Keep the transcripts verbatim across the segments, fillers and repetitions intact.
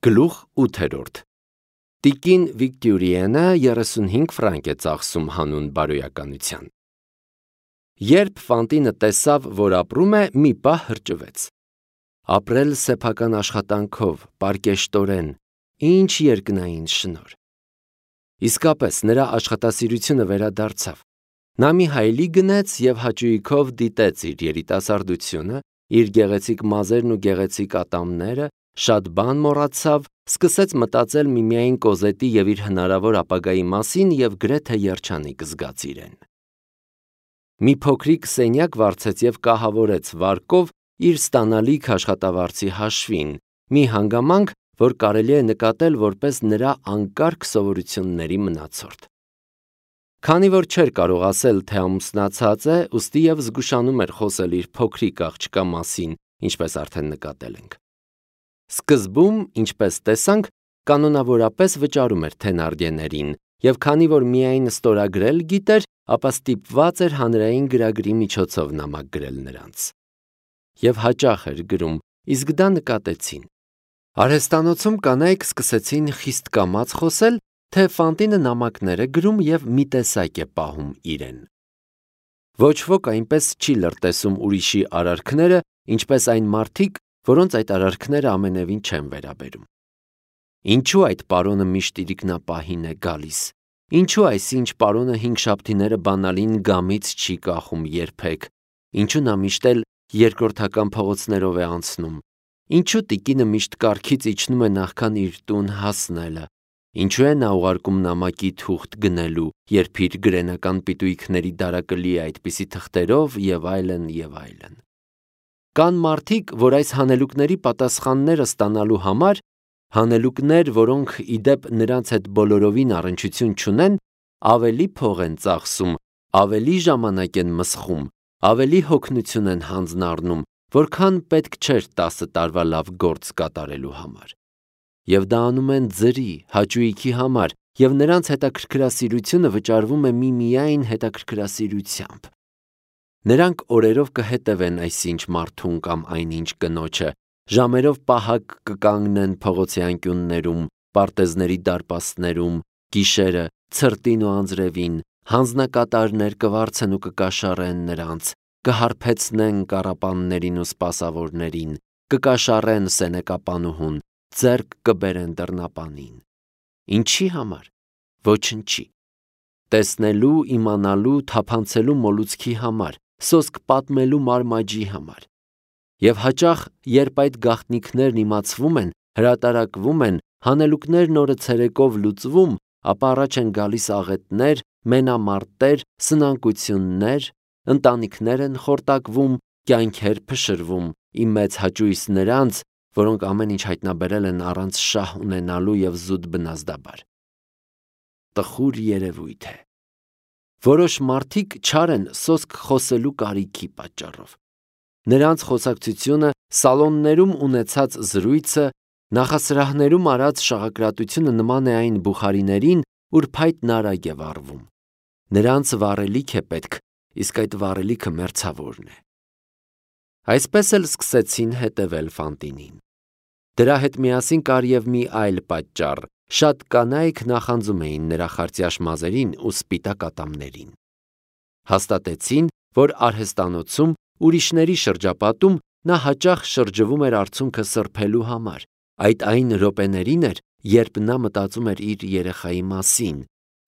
Գլուխ ութերորդ Տիկին Վիկտորիենը երեսունհինգ ֆրանկ է ծախսում հանուն բարոյականության։ Երբ Ֆանտինը տեսավ, որ ապրում է, մի պահ հրճվեց։ Ապրել սեփական աշխատանքով, պարկեշտորեն, ինչ երկնային շնորհ։ Իսկապես նրա աշխատասիրությունը վերադարձավ։ Նա մի հայելի գնեց և հաճույքով դիտեց իր երիտասարդությունը, իր գեղեցիկ մազերն ու գեղեցիկ ատամները, շատ բան մոռացավ, սկսեց մտածել միմիայն Կոզետի և իր հնարավոր ապագայի մասին և գրեթե երջանիկ զգաց իրեն։ Մի փոքրիկ սենյակ վարձեց և կահավորեց վարկով իր ստանալիք աշխատավարձի հաշվին, մի հանգամանք, որ կարելի է նկատել որպես նրա անկարգ սովորությունների մնացորդ։ Քանի որ չէր կարող ասել, թե ամուսնացած է, ուստի և զգուշանում էր խոսել իր փոքրիկ աղջկա մասին, ինչպես արդեն նկատել ենք։ Սկզբում, ինչպես տեսանք, կանոնավորապես վճարում էր Թենարդիեներին, և քանի որ միայն ստորագրել գիտեր, ապա ստիպված էր հանրային գրագրի միջոցով նամակ գրել նրանց։ Եվ հաճախ էր գրում, իսկ դա նկատեցին։ Արհեստանոցում կանայք սկսեցին խիստ կամաց խոսել, թե Ֆանտինը նամակներ է գրում և մի տեսակ է պահում իրեն։ Ոչ ոք այնպես չի լրտեսում ուրիշի արարքները, ինչպես այն մարդիկ, որոնց այդ արարքները ամենևին չեն վերաբերում։ Ինչու այդ պարոնը միշտ իրիկնապահին է գալիս։ Ինչու այսինչ պարոնը հինգշաբթիները բանալին գամից չի կախում երբեք։ Ինչու նա միշտ էլ երկրորդական փողոցներով է անցնում։ Ինչու տիկինը միշտ կառքից իջնում է նախքան իր տուն հասնելը։ Ինչու է նա ուղարկում նամակի թուղթ գնելու, երբ իր գրենական պիտույքների դարակը լի է այդպիսի թղթերով և այլն, և այլն։ Կան մարդիկ, որ այս հանելուկների պատասխանները ստանալու համար, հանելուկներ, որոնք ի դեպ նրանց հետ բոլորովին առնչություն չունեն, ավելի փող են ծախսում, ավելի ժամանակ են մսխում, ավելի հոգնություն են հանձնառնում, որքան պետք չէր տասը տարվա լավ գործ կատարելու համար։ Եվ դա անում են ձրի, հաճույքի համար, և նրանց հետաքրքրասիրությունը վճարվում է միմիայն հետաքրքրասիրությամբ։ Նրանք օրերով կհետևեն այսինչ մարդուն կամ այնինչ կնոջը, ժամերով պահակ կկանգնեն փողոցի անկյուններում, պարտեզների դարպասներում, գիշերը ցրտին ու անձրևին, հանձնակատարներ կվարձեն ու կկաշառեն նրանց, կհարբեցնեն կառապաններին ու սպասավորներին, կկաշառեն սենեկապանուհուն, ձեռք կբերեն դռնապանին։ Ինչի համար։ Ոչնչի։ Տեսնելու, իմանալու, թափանցելու մոլուցքի համար, սոսկ պատմելու մարմաջի համար։ Եվ հաճախ, երբ այդ գաղտնիքներն իմացվում են, հրատարակվում են, հանելուկներն օրը ցերեկով լուծվում, ապա առաջ են գալիս աղետներ, մենամարտեր, սնանկություններ, ընտանիքներ են խորտակվում, կյանքեր փշրվում, ի մեծ հաճույս նրանց, որոնք ամեն ինչ հայտնաբերել են առանց շահ ունենալու և զուտ բնազդաբար։ Տխուր երևույթ է։ Որոշ մարդիկ չար են սոսկ խոսելու կարիքի պատճառով։ Նրանց խոսակցությունը, սալոններում ունեցած զրույցը, նախասրահներում արած շաղակրատությունը նման է այն բուխարիներին, ուր փայտն արագ է վառվում։ Նրանց վառելիք է պետք, իսկ այդ վառելիքը մերձավորն է։ Այսպես էլ սկսեցին հետևել Ֆանտինին։ Դրա հետ միասին կար և մի այլ պատճառ. շատ կանայք նախանձում էին նրա խարծյաշ մազերին ու սպիտակ ատամներին։ Հաստատեցին, որ արհեստանոցում, ուրիշների շրջապատում նա հաճախ շրջվում էր արցունքը սրբելու համար, այդ այն րոպեներին էր, երբ նա մտածում էր իր երեխայի մասին,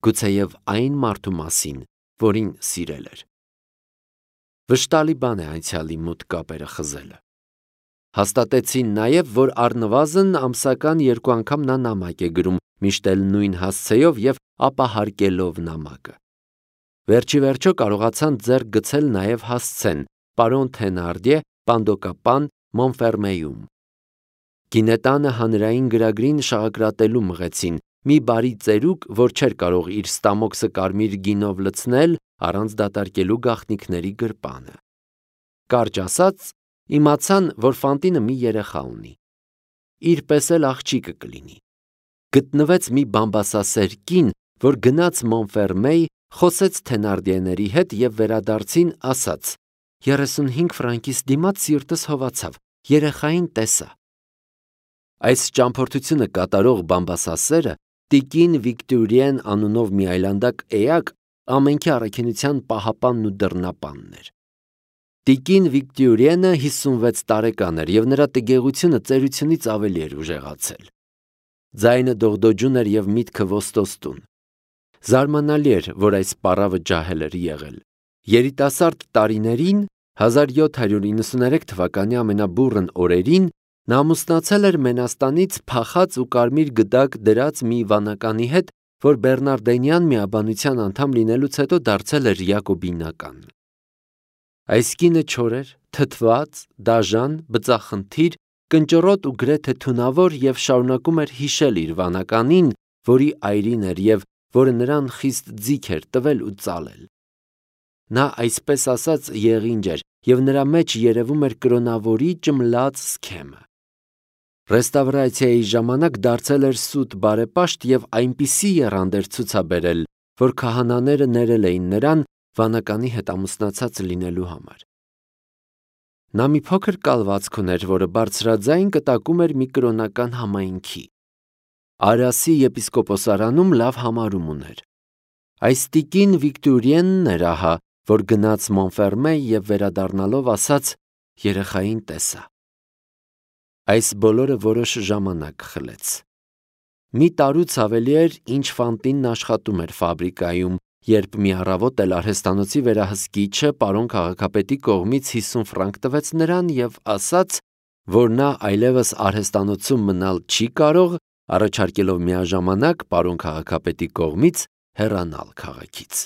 գուցեև այն մարդու մասին, որին սիրել էր։ Վշտալի բան է անցյալի մութ կապերը խզելը։ Հաստատեցին նաև, որ առնվազն ամսական երկու անգամ նա նամակ է գրում, միշտ էլ նույն հասցեով և ապահարկելով նամակը։ Վերջիվերջո կարողացան ձեռք գցել նաև հասցեն պարոն Թենարդիե պանդոկապան Մոնֆերմեյում։ Գինետանը հանրային գրագրին շաղակրատելու մղեցին, մի բարի ծերուկ, որ չէր կարող իր ստամոքսը կարմիր գինով լցնել, առանց դատարկելու գաղտնիքների գրպանը։ Կարճ ասած, իմացան, որ Ֆանտինը մի երեխա ունի։ Իր պես էլ աղջիկը կլինի։ Գտնվեց մի բամբասասեր կին, որ գնաց Մոնֆերմեյ, խոսեց Թենարդիեների հետ և վերադարձին ասաց. երեսունհինգ ֆրանկիս դիմաց սիրտս հովացավ, երեխային տեսա։ Այս ճամփորդությունը կատարող Բամբասասերը տիկին Վիկտորիեն անունով մի այլանդակ էակ ամենքի առաքինության պահապանն ու դռնապանն էր։ Տիկին Վիկտորիենը հիսունվեց տարեկան էր և նրա տգեղությունը ծերությունից ավելի էր ուժեղացել։ Ձայնը դողդոջուն էր և միտքը ոստոստուն։ Զարմանալի էր, որ այս պառավը ջահել էր եղել։ Երիտասարդ տարիներին, հազար յոթ հարյուր իննսուներեք թվականի ամենաբուռն օրերին, նա ամուսնացել էր Մենաստանից փախած ու կարմիր գդակ դրած մի վանականի հետ, որ բեռնարդենյան միաբանության անդամ լինելուց հետո դարձել էր յակոբինական։ Այս կինը չոր էր, թթված, դաժան, բծախնդիր, կնճռոտ ու գրեթե թունավոր և շարունակում էր հիշել իր վանականին, որի այրին էր և որը նրան խիստ ձիգ էր տվել ու ծալել։ Նա այսպես ասած եղինջ էր և նրա մեջ երևում էր կրոնավորի ճմլած սքեմը։ Ռեստավրացիայի ժամանակ դարձել էր սուտ բարեպաշտ և այնպիսի եռանդ էր ցուցաբերել, որ քահանաները ներել էին նրան վանականի հետ ամուսնացած լինելու համար։ Նա մի փոքր կալվածք ուներ, որը բարձրաձայն կտակում էր մի կրոնական համայնքի։ Արասի եպիսկոպոսարանում լավ համարում ուներ։ Այս տիկին Վիկտորիենն էր ահա, որ գնաց Մոնֆերմե և վերադառնալով ասաց. «Երեխային տեսա»։ Այս բոլորը որոշ ժամանակ խլեց։ Մի տարուց ավելի էր, ինչ Ֆանտինն աշխատում էր ֆաբրիկայում, երբ մի առավոտ էլ արհեստանոցի վերահսկիչը պարոն քաղաքապետի կողմից հիսուն ֆրանկ տվեց նրան և ասաց, որ նա այլևս արհեստանոցում մնալ չի կարող, առաջարկելով միաժամանակ պարոն քաղաքապետի կողմից հեռանալ քաղաքից։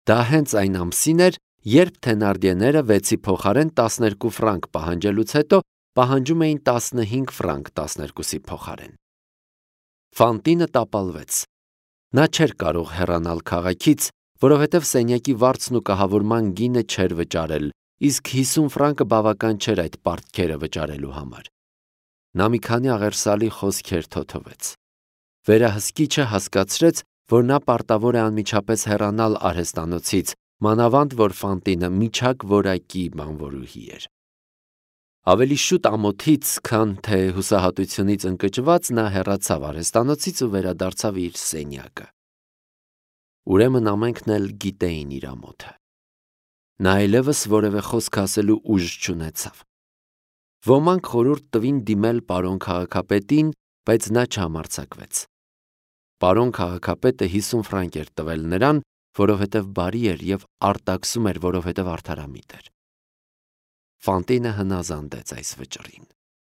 Դա հենց այն ամսին էր, երբ Թենարդիեները վեցի փոխարեն տասներկու ֆրանկ պահանջելուց հետո պահանջում էին տասնհինգ ֆրանկ տասներկուսի փոխարեն։ Ֆանտինը տապալվեց։ Նա չէր կարող հեռանալ քաղաքից, որովհետև սենյակի վարձն ու կահավորման գինը չէր վճարել, իսկ հիսուն ֆրանկը բավական չէր այդ պարտքերը վճարելու համար։ Նա մի քանի աղերսալի խոսքեր թոթվեց։ Վերահսկիչը հասկացրեց, որ նա պարտավոր է անմիջապես հեռանալ արհեստանոցից, մանավանդ որ Ֆանտինը միջակ որակի բանվորուհի էր։ Ավելի շուտ ամոթից, քան թե հուսահատությունից ընկճված, նա հեռացավ արհեստանոցից ու վերադարձավ իր սենյակը։ Ուրեմն ամենքն էլ գիտեին իր ամոթը։ Նա այլևս որևէ խոսք ասելու ուժ չունեցավ։ Ոմանք խորհուրդ տվին դիմել պարոն քաղաքապետին, բայց նա չհամարձակվեց։ Պարոն քաղաքապետը հիսուն ֆրանկ էր տվել նրան, որովհետև բարի էր և արտաքսում էր, որովհետև արդարամիտ էր։ Ֆանտինը հնազանդեց այս վճռին։